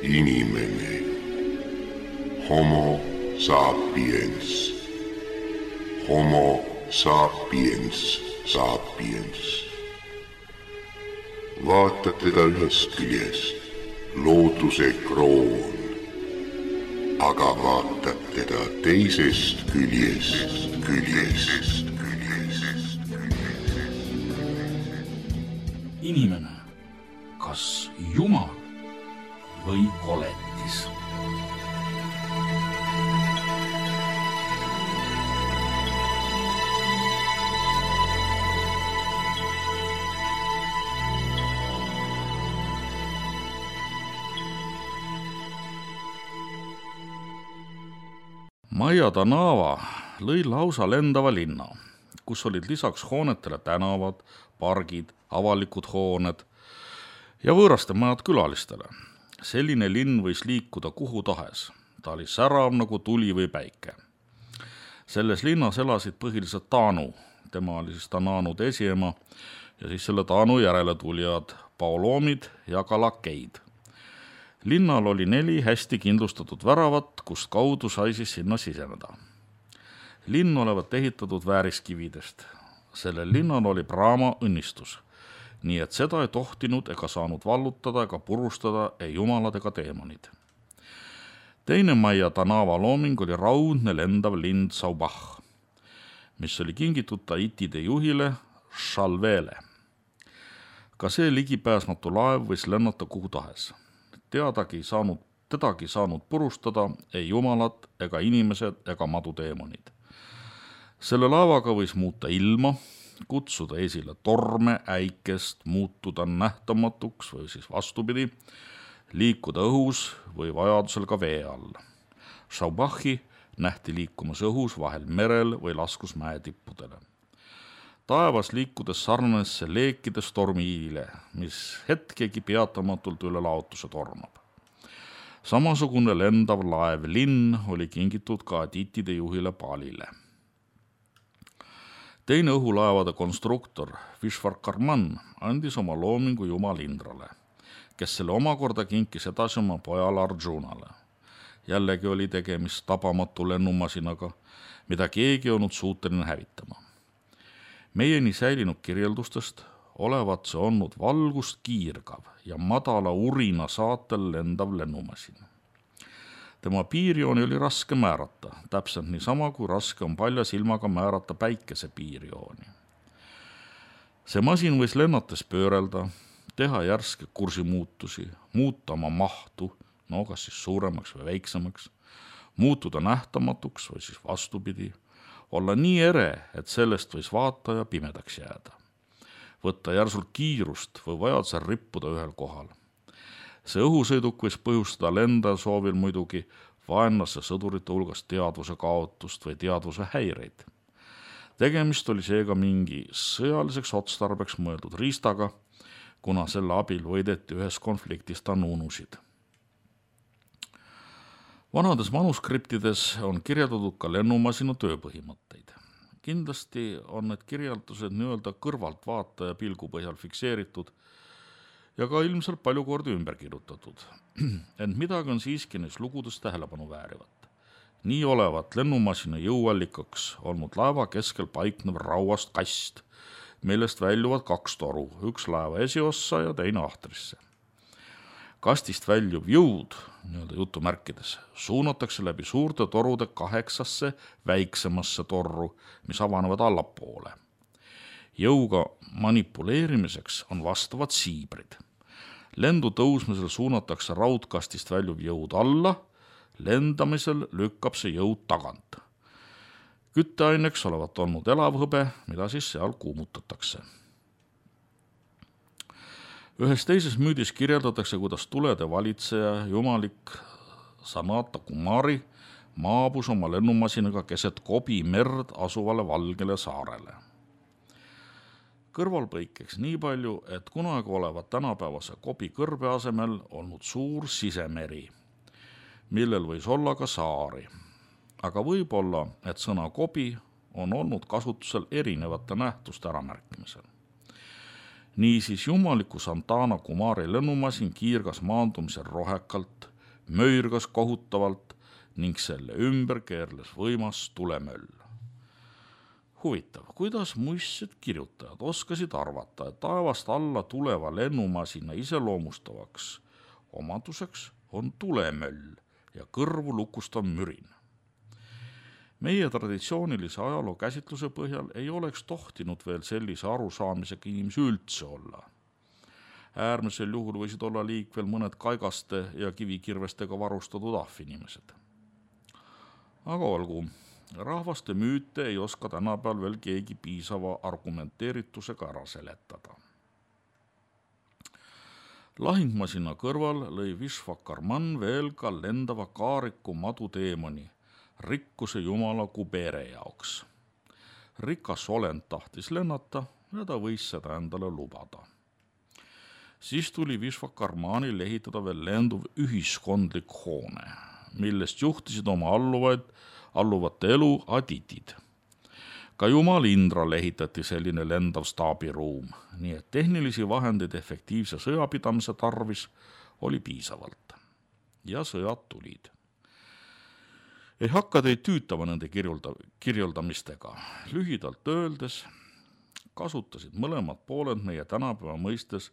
Inimene. Homo sapiens. Homo sapiens sapiens. Vaata teda ühest küljest, looduse kroon, aga vaatad teda teisest küljest. Inimene, kas Jumal või koletis? Maia Tanava lõi lausa lendava linna, kus olid lisaks hoonetele tänavad, pargid, avalikud hooned ja võõraste majad külalistele. Selline linn võis liikuda kuhu tahes. Ta oli särav nagu tuli või päike. Selles linnas elasid põhiliselt Taanu, tema oli siis Tananude esiema ja siis selle Taanu järele tulijad paoloomid ja ka lakeid. Linnal oli 4 hästi kindlustatud väravat, kust kaudu sai siis sinna siseneda. Linn olevat ehitatud vääriskividest. Sellel linnal oli Brahma õnnistus, nii et seda ei tohtinud ega saanud vallutada ega purustada ei jumalad ega teemonid. Teine Maia Tanava looming oli raudne lendav lind Saubach, mis oli kingitud Tahitide juhile Shalvele. Ka see ligipääsmatu laev võis lennata kuhu tahes. Tedagi saanud purustada ei jumalad ega inimesed ega maduteemonid. Selle laevaga võis muuta ilma, kutsuda esile torme, äikest, muutuda nähtamatuks või siis vastupidi, liikuda õhus või vajadusel ka vee all. Saubachi nähti liikumas õhus, vahel merel või laskus mäetippudele. Taevas liikudes sarnanes see leekides tormiile, mis hetkegi peatamatult üle laotuse tormab. Samasugune lendav laev linn oli kingitud ka Tahitide juhile Palile. Teine õhulaevade konstruktor Vishwakarman andis oma loomingu jumal Indrale, kes selle omakorda kinkis edasi oma pojale Arjunale. Jällegi oli tegemist tabamatu lennumasinaga, mida keegi olnud suuteline hävitama. Meieni säilinud kirjeldustest olevat see olnud valgust kiirgav ja madala urina saatel lendav lennumasin. Tema piirjooni oli raske määrata, täpselt niisama kui raske on palja silmaga määrata päikese piirjooni. See masin võis lennates pöörelda, teha järske kursimuutusi, muuta oma mahtu, kas siis suuremaks või väiksemaks, muutuda nähtamatuks või siis vastupidi, olla nii ere, et sellest võis vaataja pimedaks jääda. Võtta järsult kiirust või vajadusel rippuda ühel kohal. See õhusõiduk võis põhjustada lenda soovil muidugi vaenlasse sõdurite hulgas teadvuse kaotust või teadvuse häireid. Tegemist oli seega mingi sõjaliseks otstarbeks mõeldud riistaga, kuna selle abil võideti ühes konfliktis tanunusid. Vanades manuskriptides on kirjeldatud ka lennumasina tööpõhimõtteid. Kindlasti on need kirjeldused nii-öelda kõrvaltvaataja pilgu põhjal fikseeritud ja ka ilmselt palju kordi ümber kirjutatud. Ent midagi on siiski neis lugudes tähelepanu väärivat. Nii olevat lennumasina jõuallikaks olnud laeva keskel paiknev rauast kast, millest väljuvad 2 toru, üks laeva esiossa ja teine ahtrisse. Kastist väljuv jõud, nii-öelda jutumärkides, suunatakse läbi suurte torude 8 väiksemasse torru, mis avanevad allapoole. Jõuga manipuleerimiseks on vastavad siibrid. Lendu tõusmisel suunatakse raudkastist väljuv jõud alla, lendamisel lükkab see jõud tagant. Kütteaineks olevat olnud elavhõbe, mida siis seal kuumutatakse. Ühes teises müüdis kirjeldatakse, kuidas tulede valitseja jumalik Sanata Kumari maabus oma lennumasinaga keset Kobi merd asuvale valgele saarele. Kõrvalpõikeks nii palju, et kunagi olevat tänapäevase Kobi kõrbe asemel olnud suur sisemeri, millel võis olla ka saari. Aga võib-olla, et sõna Kobi on olnud kasutusel erinevate nähtuste äramärkimisel. Niisiis jumaliku Santana Kumari lennumasin kiirgas maandumisel rohekalt, möirgas kohutavalt ning selle ümber keerles võimas tulemöll. Huvitav, kuidas muistsed kirjutajad oskasid arvata, et taevast alla tuleva lennumasina iseloomustavaks omaduseks on tulemöll ja kõrvu lukustav mürin. Meie traditsioonilise ajaloo käsitluse põhjal ei oleks tohtinud veel sellise arusaamisega inimesi üldse olla. Äärmisel juhul võisid olla liikvel mõned kaigaste ja kivikirvestega varustatud ahvinimesed. Aga olgu, rahvaste müüte ei oska tänapäeval veel keegi piisava argumenteeritusega ära seletada. Lahingmasina kõrval lõi Vishvakarman veel ka lendava kaariku maduteemoni rikkuse jumala Kubere jaoks. Rikas olend tahtis lennata ja ta võis seda endale lubada. Siis tuli Vishvakarmanil ehitada veel lenduv ühiskondlik hoone, millest juhtisid oma alluvate elu aditid. Ka jumal Indral ehitati selline lendav staabiruum, nii et tehnilisi vahendeid efektiivse sõjapidamise tarvis oli piisavalt. Ja sõjad tulid. Ei hakka teid tüütama nende kirjeldamistega. Lühidalt öeldes kasutasid mõlemad pooled meie tänapäeva mõistes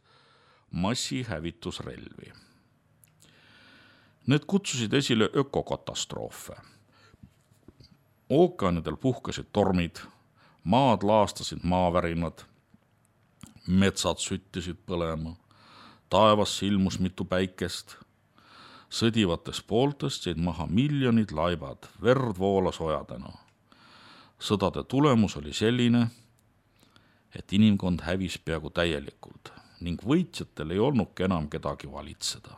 massihävitusrelvi. Need kutsusid esile ökokatastroofe. Ookeanidel puhkesid tormid, maad laastasid maavärinad, metsad süttisid põlema, taevas ilmus mitu päikest, sõdivatest pooltest jäid maha miljonid laibad, verd voolas ojadena. Sõdade tulemus oli selline, et inimkond hävis peaaegu täielikult ning võitjatel ei olnudki enam kedagi valitseda.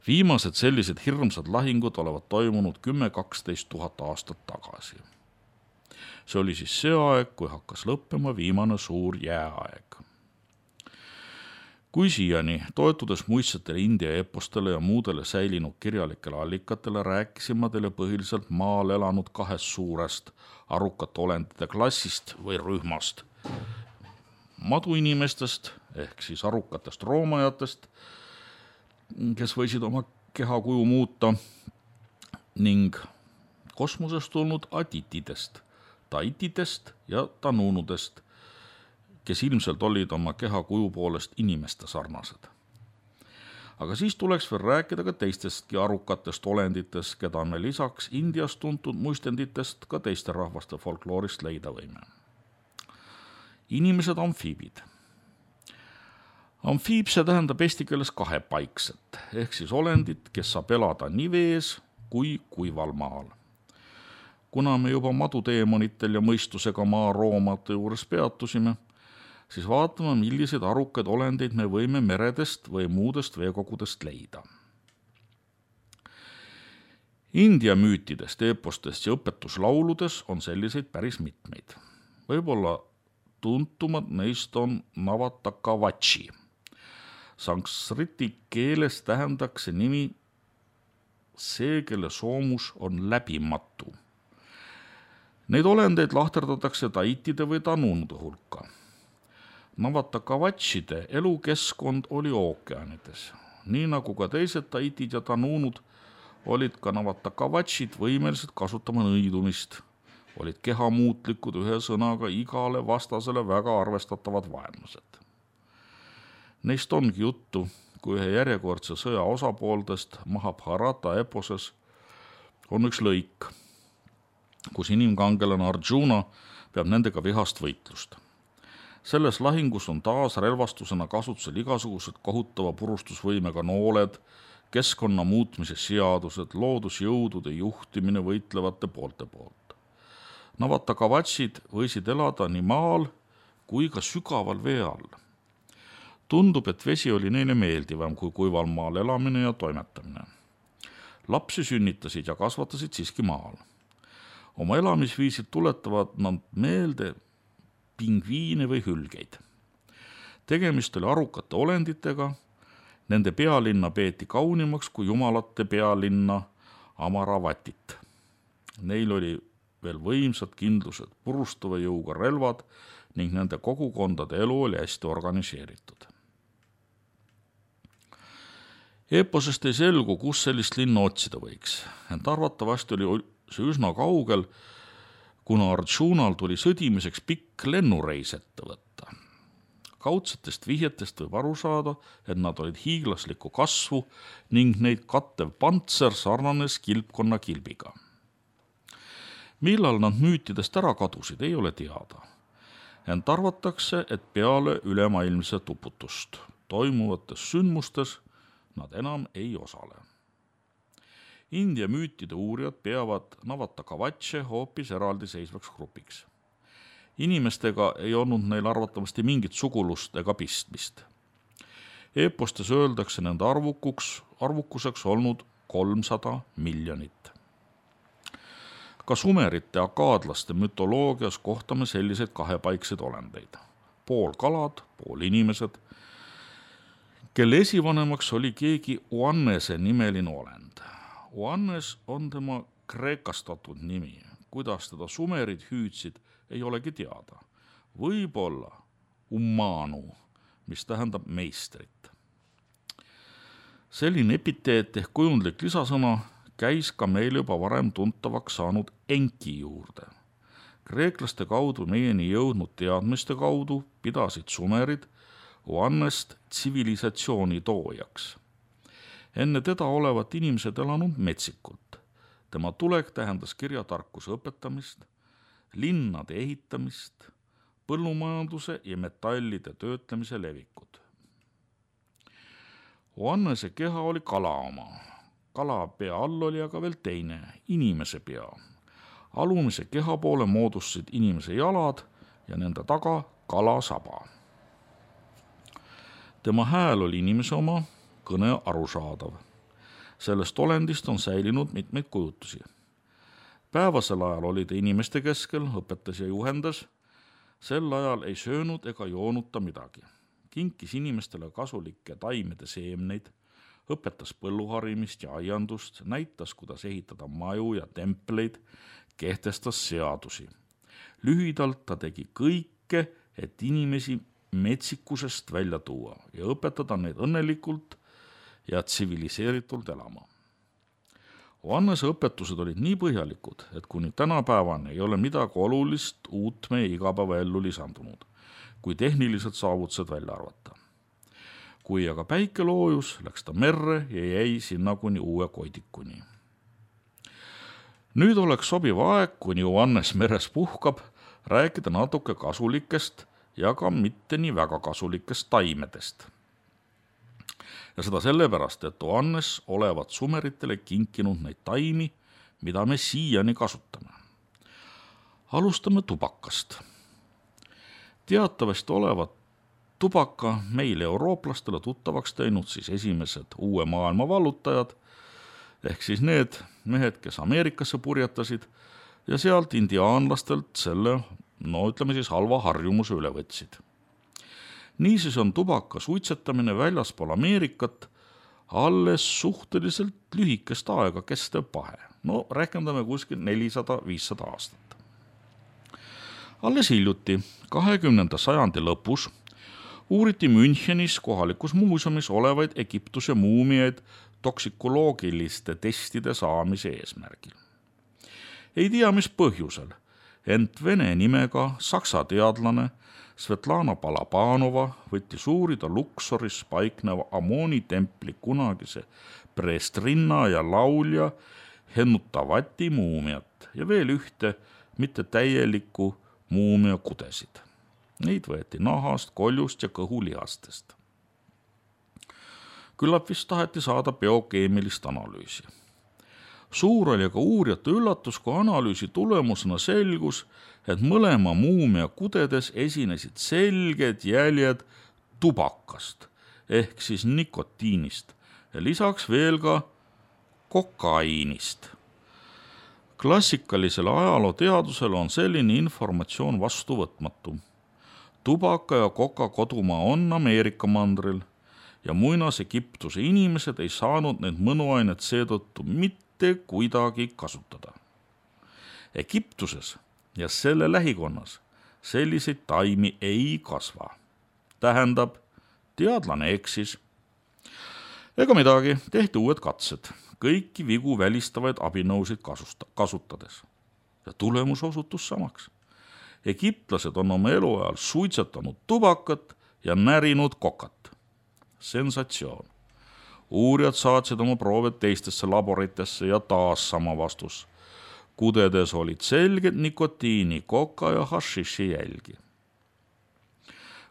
Viimased sellised hirmsad lahingud olevat toimunud 10-12 000 aastat tagasi. See oli siis see aeg, kui hakkas lõppema viimane suur jääaeg. Kui siiani, toetudes muistsetele India epostele ja muudele säilinud kirjalikele allikatele, rääkisime teile põhiliselt maal elanud kahest suurest arukate olendite klassist või rühmast. Maduinimestest ehk siis arukatest roomajatest, kes võisid oma kehakuju muuta, ning kosmosest tulnud aditidest, taitidest ja tanuunudest, kes ilmselt olid oma kehakuju poolest inimeste sarnased. Aga siis tuleks veel rääkida ka teistestki arukatest olenditest, keda me lisaks Indias tuntud muistenditest ka teiste rahvaste folkloorist leida võime. Inimesed amfiibid. Amfiib, see tähendab eesti keeles kahepaikset, ehk siis olendit, kes saab elada nii vees kui kuival maal. Kuna me juba maduteemonitel ja mõistusega maaroomade juures peatusime, siis vaatame, milliseid arukaid olendeid me võime meredest või muudest veekogudest leida. India müütidest, epostest ja õpetuslauludes on selliseid päris mitmeid. Võib-olla tuntumad neist on Navatakavachi. Sanskriti keeles tähendaks see nimi see, kelle soomus on läbimatu. Neid olendeid lahterdatakse taitide või tanuunude hulka. Navatakavachide elukeskkond oli ookeanides. Nii nagu ka teised taitid ja tanuunud, olid ka Navatakavachid võimelised kasutama nõidumist, olid kehamuutlikud, ühe sõnaga igale vastasele väga arvestatavad vaenlased. Neist ongi juttu, kui ühe järjekordse sõja osapooltest Mahabharata eposes on üks lõik, kus inimkangelane Arjuna peab nendega vihast võitlust. Selles lahingus on taas relvastusena kasutusel igasugused kohutava purustusvõimega nooled, keskkonna muutmise seadused, loodusjõudude juhtimine võitlevate poolte poolt. Navatakavachid võisid elada nii maal kui ka sügaval vee all. Tundub, et vesi oli neile meeldivam kui kuival maal elamine ja toimetamine. Lapsi sünnitasid ja kasvatasid siiski maal. Oma elamisviisid tuletavad nad meelde pingviine või hülgeid. Tegemist oli arukate olenditega, nende pealinna peeti kaunimaks kui jumalate pealinna Amaravatit. Neil oli veel võimsad kindlused, purustava jõuga relvad ning nende kogukondade elu oli hästi organiseeritud. Eeposest ei selgu, kus sellist linna otsida võiks, ent arvatavasti oli see üsna kaugel, kuna Arjunal tuli sõdimiseks pikk lennureis ette võtta. Kaudsetest vihjetest võib aru saada, et nad olid hiiglaslikku kasvu ning neid kattev pantser sarnanes kilpkonna kilbiga. Millal nad müütidest ära kadusid, ei ole teada. Ent arvatakse, et peale ülemaailmset uputust toimuvates sündmustes nad enam ei osale. India müütide uurijad peavad Navatakavache hoopis eraldiseisvaks grupiks. Inimestega ei olnud neil arvatavasti mingit sugulust ega pistmist. Eepostes öeldakse nende arvukuseks olnud 300 miljonit. Ka sumerite ja akaadlaste mütoloogias kohtame selliseid kahepaikseid olendeid. Pool kalad, pool inimesed, kelle esivanemaks oli keegi Oannese nimeline olend. Oannes on tema kreekastatud nimi. Kuidas teda sumerid hüüdsid, ei olegi teada. Võib-olla Ummanu, mis tähendab meistrit. Selline epiteet ehk kujundlik lisasõna käis ka meil juba varem tuntavaks saanud Enki juurde. Kreeklaste kaudu meieni jõudnud teadmiste kaudu pidasid sumerid Oannest tsivilisatsiooni toojaks. Enne teda olevat inimesed elanud metsikult. Tema tulek tähendas kirjatarkuse õpetamist, linnade ehitamist, põllumajanduse ja metallide töötlemise levikut. Oannese keha oli kala oma. Kala pea all oli aga veel teine, inimese pea. Alumise keha poole moodustasid inimese jalad ja nende taga kala saba. Tema hääl oli inimese oma, kõne arusaadav. Sellest olendist on säilinud mitmeid kujutusi. Päevasel ajal oli ta inimeste keskel, õpetas ja juhendas. Sel ajal ei söönud ega joonud ta midagi. Kinkis inimestele kasulikke taimede seemneid, õpetas põlluharimist ja aiandust, näitas, kuidas ehitada maju ja templeid, kehtestas seadusi. Lühidalt ta tegi kõike, et inimesi metsikusest välja tuua ja õpetada neid õnnelikult ja tsiviliseeritult elama. Oannese õpetused olid nii põhjalikud, et kuni tänapäevani ei ole midagi olulist uut meie igapäevaellu lisandunud, kui tehnilised saavutused välja arvata. Kui aga päike loojus, läks ta merre ja jäi sinna kuni uue koidikuni. Nüüd oleks sobiv aeg, kuni Oannes meres puhkab, rääkida natuke kasulikest ja ka mitte nii väga kasulikest taimedest. Ja seda sellepärast, et Oannes olevat sumeritele kinkinud neid taimi, mida me siiani kasutame. Alustame tubakast. Teatavasti olevat tubaka meile eurooplastele tuttavaks teinud siis esimesed uue maailma vallutajad, ehk siis need mehed, kes Ameerikasse purjetasid ja sealt indiaanlastelt selle, ütleme siis halva harjumuse üle võtsid. Niisiis on tubaka suitsetamine väljaspool Ameerikat alles suhteliselt lühikest aega kestev pahe. Rääkendame kuskil 400-500 aastat. Alles hiljuti, 20. sajandi lõpus, uuriti Münchenis kohalikus muuseumis olevaid Egiptuse muumiaid toksikoloogiliste testide saamise eesmärgil. Ei tea, mis põhjusel, ent vene nimega saksa teadlane Svetlana Balabanova võttis uurida Luksoris paikneva Amoni templi kunagise preestrinna ja laulja Hennutavati muumiat ja veel ühte mitte täielikku muumia kudesid. Neid võeti nahast, koljust ja kõhulihastest. Küllap vist taheti saada biokeemilist analüüsi. Suur oli aga uurijate üllatus, kui analüüsi tulemusena selgus, et mõlema muumia kudedes esinesid selged jäljed tubakast ehk siis nikotiinist ja lisaks veel ka kokaiinist. Klassikalisele ajalooteadusele on selline informatsioon vastuvõtmatu. Tubaka ja koka kodumaa on Ameerika mandril ja muinas Egiptuse inimesed ei saanud neid mõnuainet seetõttu mitte kuidagi kasutada. Egiptuses ja selle lähikonnas selliseid taimi ei kasva. Tähendab, teadlane eksis. Ega midagi, tehti uued katsed, kõiki vigu välistavaid abinõusid kasutades. Ja tulemus osutus samaks. Egiptlased on oma eluajal suitsetanud tubakat ja närinud kokat. Sensatsioon. Uurijad saatsid oma proovid teistesse laboritesse ja taas sama vastus. Kudedes olid selged nikotiini, koka ja hašiši jälgi.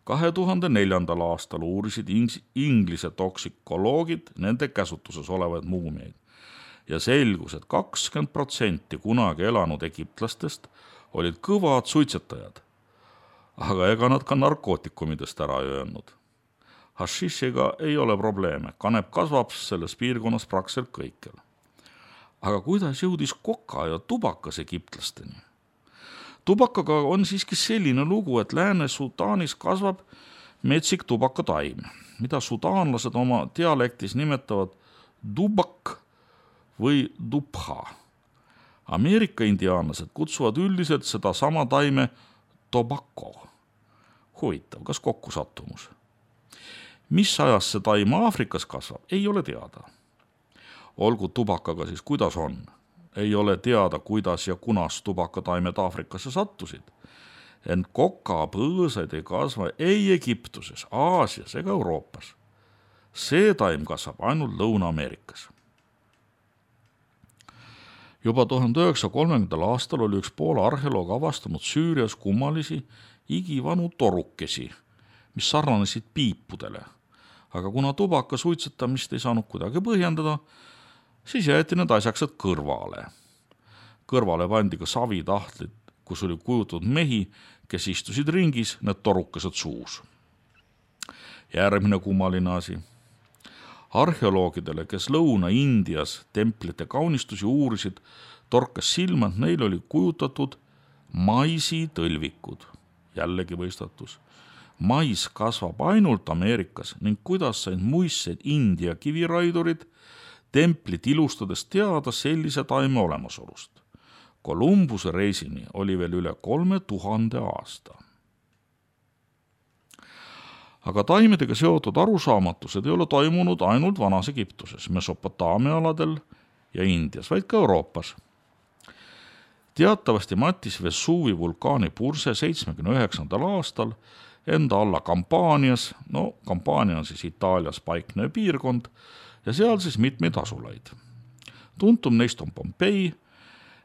2004. aastal uurisid Inglise toksikoloogid nende käsutuses olevaid muumiaid ja selgus, et 20% kunagi elanud egiptlastest olid kõvad suitsetajad, aga ega nad ka narkootikumidest ära ei öelnud. Hašišiga ei ole probleeme, kanep kasvab selles piirkonnas praktiliselt kõikjal. Aga kuidas jõudis koka ja tubakas egiptlasteni? Tubakaga on siiski selline lugu, et Lääne-Sudaanis kasvab metsik tubakataim, mida sudaanlased oma dialektis nimetavad dubak või dubha. Ameerika indiaanlased kutsuvad üldiselt seda sama taime tobacco. Huvitav, kas kokkusattumus? Mis ajas see taim Aafrikas kasvab, ei ole teada. Olgu tubakaga siis kuidas on. Ei ole teada, kuidas ja kunas tubakataimed Aafrikasse sattusid. Ent kokapõõsaid ei kasva ei Egiptuses, Aasias ega Euroopas. See taim kasvab ainult Lõuna-Ameerikas. Juba 1930. aastal oli üks Poola arheoloog avastanud Süürias kummalisi igivanu torukesi, mis sarnanesid piipudele. Aga kuna tubaka suitsetamist ei saanud kuidagi põhjendada, siis jäeti need asjaksed kõrvale. Kõrvale pandi ka savitahtlid, kus oli kujutatud mehi, kes istusid ringis, need torukesed suus. Järgmine kummaline asi. Arheoloogidele, kes Lõuna-Indias templite kaunistusi uurisid, torkas silma, et neil oli kujutatud maisitõlvikud. Jällegi võistatus. Mais kasvab ainult Ameerikas ning kuidas said muissed India kiviraidurid templit ilustades teada sellise taime olemasolust. Kolumbuse reisini oli veel üle 3000 aasta. Aga taimedega seotud arusaamatused ei ole toimunud ainult Vanas Egiptuses, Mesopotaamia aladel ja Indias, vaid ka Euroopas. Teatavasti mattis Vesuvi vulkaani purse 79. aastal enda alla Kampaanias, Kampaania on siis Itaalias paiknev piirkond, ja seal siis mitmeid asulaid. Tuntum neist on Pompei,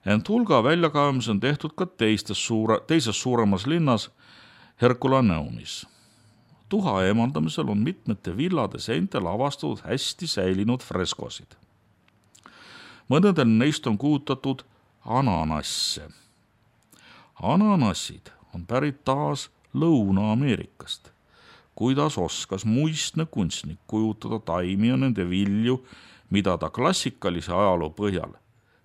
ent hulga väljakaevamusi on tehtud ka teises suuremas linnas Herkulaneumis. Tuha eemaldamisel on mitmete villade seintel avastatud hästi säilinud freskosid. Mõnedel neist on kujutatud ananasse. Ananassid on pärit taas Lõuna-Ameerikast. Kuidas oskas muistne kunstnik kujutada taimi ja nende vilju, mida ta klassikalise ajaloo põhjal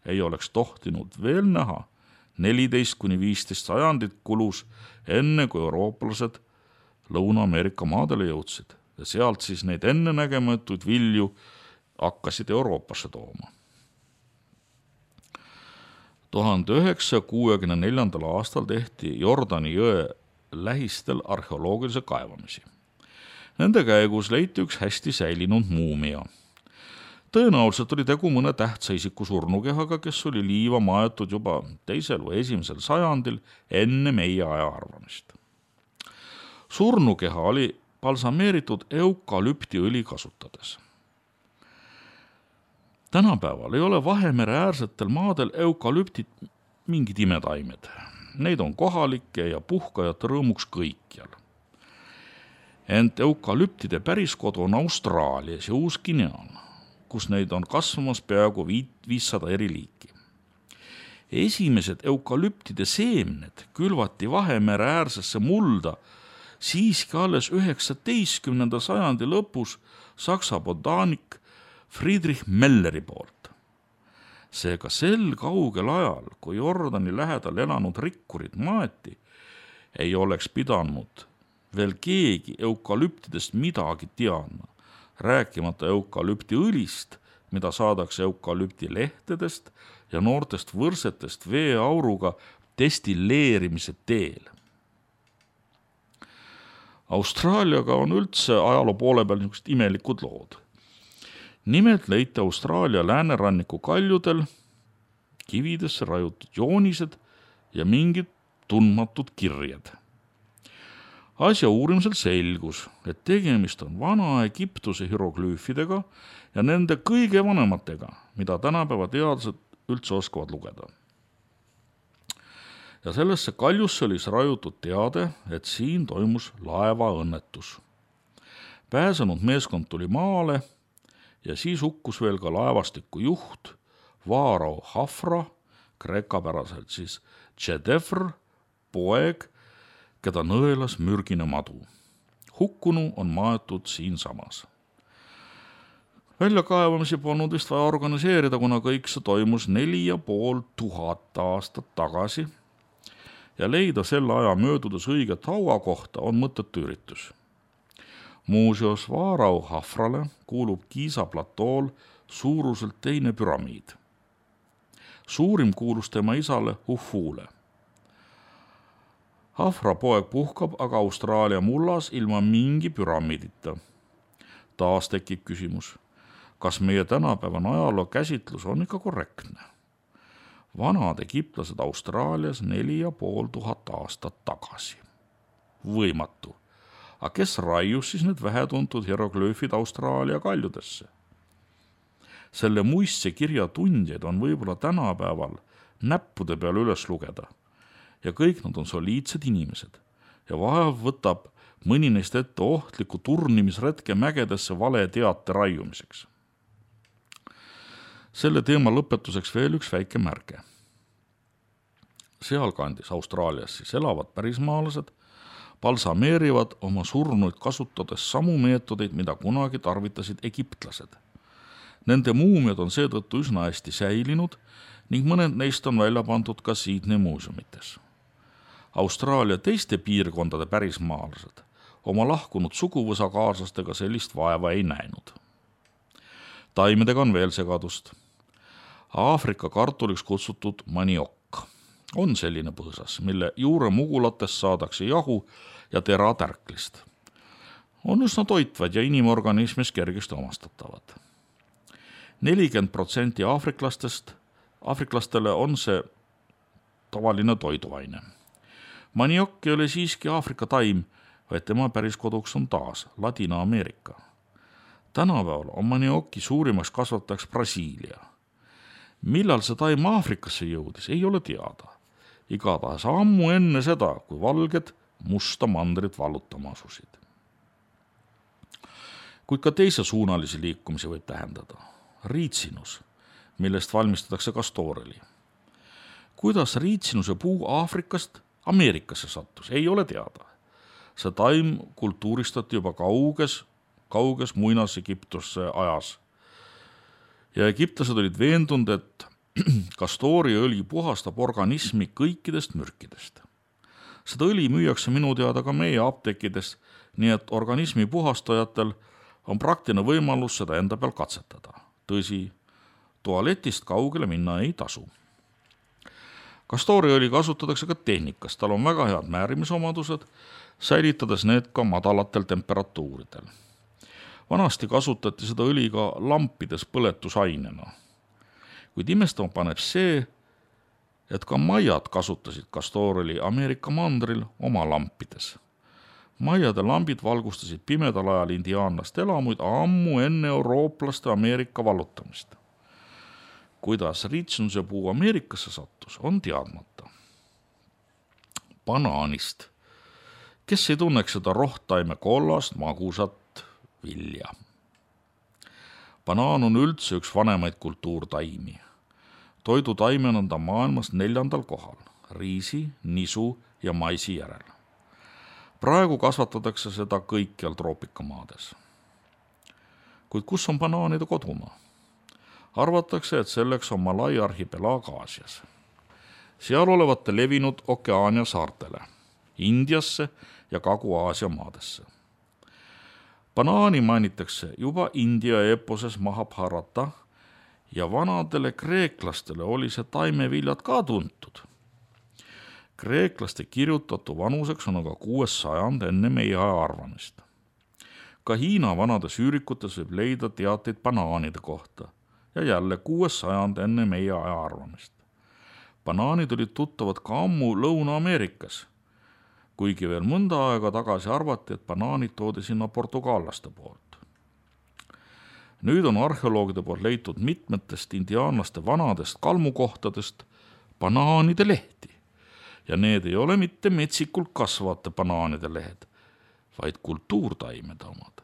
ei oleks tohtinud veel näha, 14–15 sajandit kulus enne, kui eurooplased Lõuna-Ameerika maadele jõudsid ja sealt siis neid ennenägematuid vilju hakkasid Euroopasse tooma. 1964. aastal tehti Jordani jõe lähistel arheoloogilise kaevamisi. Nende käigus leiti üks hästi säilinud muumia. Tõenäoliselt oli tegu mõne tähtsa isiku surnukehaga, kes oli liiva maetud juba 2. või 1. sajandil enne meie aja arvamist. Surnukeha oli balsameeritud eukalüptiõli kasutades. Tänapäeval ei ole Vahemere äärsetel maadel eukalüptid mingid imetaimed. Neid on kohalike ja puhkajate rõõmuks kõikjal. Ent eukalüptide päriskodu on Austraalias ja Uus-Guineal, kus neid on kasvamas peaaegu 500 eri liiki. Esimesed eukalüptide seemned külvati Vahemere äärsesse mulda siiski alles 19. sajandi lõpus Saksa botaanik Friedrich Melleri poolt. Seega sel kaugel ajal, kui Jordani lähedal elanud rikkurid maeti, ei oleks pidanud veel keegi eukalüptidest midagi teadma, rääkimata eukalüptiõlist, mida saadakse eukalüpti lehtedest ja noortest võrsetest veeauruga destilleerimise teel. Austraaliaga on üldse ajaloo poole peal niisugused imelikud lood. Nimelt leiti Austraalia lääneranniku kaljudel kividesse raiutud joonised ja mingid tundmatud kirjed. Asja uurimisel selgus, et tegemist on Vana-Egiptuse hieroglüüfidega ja nende kõige vanematega, mida tänapäeva teadlased üldse oskavad lugeda. Ja sellesse kaljusse oli raiutud teade, et siin toimus laevaõnnetus. Pääsenud meeskond tuli maale ja siis hukkus veel ka laevastiku juht Vaarao Hafra, kreekapäraselt siis Tšedefr, poeg, keda nõelas mürgine madu. Hukkunu on maetud siinsamas. Väljakaevamisi polnud vist vaja organiseerida, kuna kõik see toimus 4500 aastat tagasi ja leida selle aja möödudes õiget hauakohta on mõttetu üritus. Muuseas, Vaarao Hafrale kuulub Giza platool suuruselt teine püramiid. Suurim kuulus tema isale Hufule. Hafra poeg puhkab aga Austraalia mullas ilma mingi püramiidita. Taas tekib küsimus, kas meie tänapäevane ajaloo käsitlus on ikka korrektne? Vanad egiptlased Austraalias 4500 aastat tagasi. Võimatu. Aga kes raius siis need vähetuntud hieroglüüfid Austraalia kaljudesse? Selle muistse kirja tundjaid on võib-olla tänapäeval näppude peal üles lugeda ja kõik nad on soliidsed inimesed ja vahel võtab mõni neist ette ohtliku turnimisretke mägedesse vale teate raiumiseks. Selle teema lõpetuseks veel üks väike märge. Sealkandis Austraalias siis elavad pärismaalased balsameerivad oma surnuid kasutades samu meetodeid, mida kunagi tarvitasid egiptlased. Nende muumiad on seetõttu üsna hästi säilinud ning mõned neist on välja pandud ka Sydney muuseumites. Austraalia teiste piirkondade pärismaalased oma lahkunud suguvõsakaaslastega sellist vaeva ei näinud. Taimedega on veel segadust. Aafrika kartuliks kutsutud maniokk on selline põõsas, mille juure mugulatest saadakse jahu ja tera tärklist. On üsna toitvad ja inimorganismis kergesti omastatavad. 40% aafriklastele on see tavaline toiduaine. Maniokk ei ole siiski Aafrika taim, vaid tema päris koduks on taas Ladina-Ameerika. Tänapäeval on maniokki suurimaks kasvatajaks Brasiilia. Millal see taim Aafrikasse jõudis, ei ole teada. Igatahes ammu enne seda, kui valged musta mandrit vallutama asusid. Kuid ka teise suunalisi liikumisi võib tähendada. Riitsinus, millest valmistatakse kastooreli. Kuidas riitsinuse puu Aafrikast Ameerikasse sattus, ei ole teada. See taim kultuuristati juba kauges muinas-Egiptuse ajas. Ja egiptlased olid veendunud, et kastooriõli puhastab organismi kõikidest mürkidest. Seda õli müüakse minu teada ka meie apteekides, nii et organismi puhastajatel on praktiline võimalus seda enda peal katsetada. Tõsi, tualetist kaugele minna ei tasu. Kastooriõli kasutatakse ka tehnikas, tal on väga head määrimisomadused, säilitades need ka madalatel temperatuuridel. Vanasti kasutati seda õli ka lampides põletusainena. Kuid imestama paneb see, et ka maiad kasutasid kastooreli Ameerika mandril oma lampides. Maiade lambid valgustasid pimedal ajal indiaanlaste elamuid ammu enne eurooplaste Ameerika vallutamist. Kuidas riitsinuse puu Ameerikasse sattus, on teadmata. Banaanist. Kes ei tunneks seda rohtaime kollast, magusat vilja? Banaan on üldse üks vanemaid kultuurtaimi. Toidutaimena on ta maailmas 4. kohal, riisi, nisu ja maisi järel. Praegu kasvatatakse seda kõikjal troopikamaades. Kuid kus on banaanide kodumaa? Arvatakse, et selleks on Malai arhipelaag Aasias. Seal olevate levinud Okeaania saartele, Indiasse ja Kagu-Aasia maadesse. Banaani mainitakse juba India eeposes Mahabharata ja vanadele kreeklastele oli see taimeviljad ka tuntud. Kreeklaste kirjutatu vanuseks on aga 6. sajand enne meie aja arvamist. Ka Hiina vanades üürikutes võib leida teateid banaanide kohta ja jälle 6. sajand enne meie aja arvamist. Banaanid olid tuttavad ka ammu Lõuna-Ameerikas, kuigi veel mõnda aega tagasi arvati, et banaanid toodi sinna portugallaste poolt. Nüüd on arheoloogide poolt leitud mitmetest indiaanlaste vanadest kalmukohtadest banaanide lehti ja need ei ole mitte metsikult kasvavate banaanide lehed, vaid kultuurtaimede omad.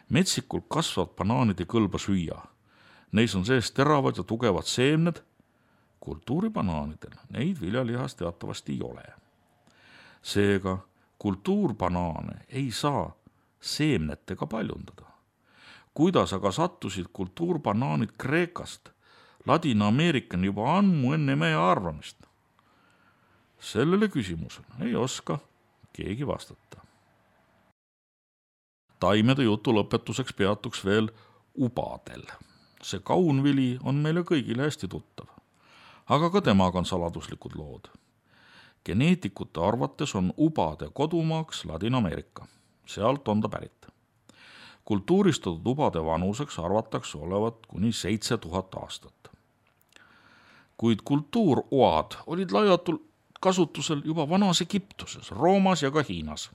Metsikult kasvavad banaanid ei kõlba süüa. Neis on sees teravad ja tugevad seemned. Kultuuribanaanidel neid viljalihas teatavasti ei ole. Seega kultuurbanaane ei saa seemnetega paljundada. Kuidas aga sattusid kultuurbanaanid Kreekast Ladina-Ameerikani juba ammu enne meie arvamist? Sellele küsimusele ei oska keegi vastata. Taimede jutu lõpetuseks peatuks veel ubadel. See kaunvili on meile kõigile hästi tuttav, aga ka temaga on saladuslikud lood. Geneetikute arvates on ubade kodumaaks Ladina-Ameerika. Sealt on ta pärit. Kultuuristatud ubade vanuseks arvatakse olevat kuni 7000 aastat. Kuid kultuuroad olid laiatul kasutusel juba vanas Egiptuses, Roomas ja ka Hiinas.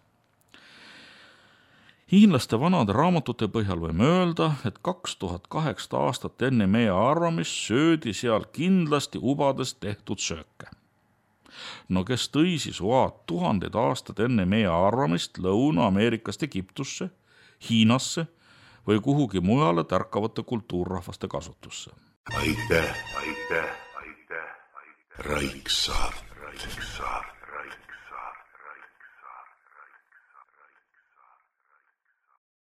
Hiinlaste vanade raamatute põhjal võime öelda, et 2008 aastat enne meie arvamist söödi seal kindlasti ubadest tehtud sööke. No kes tõi siis oad 1000 aastad enne meie arvamist Lõuna-Ameerikast Egiptusse, Hiinasse või kuhugi mujale tärkavate kultuurrahvaste kasutusse? Aitäh. Raiksaart.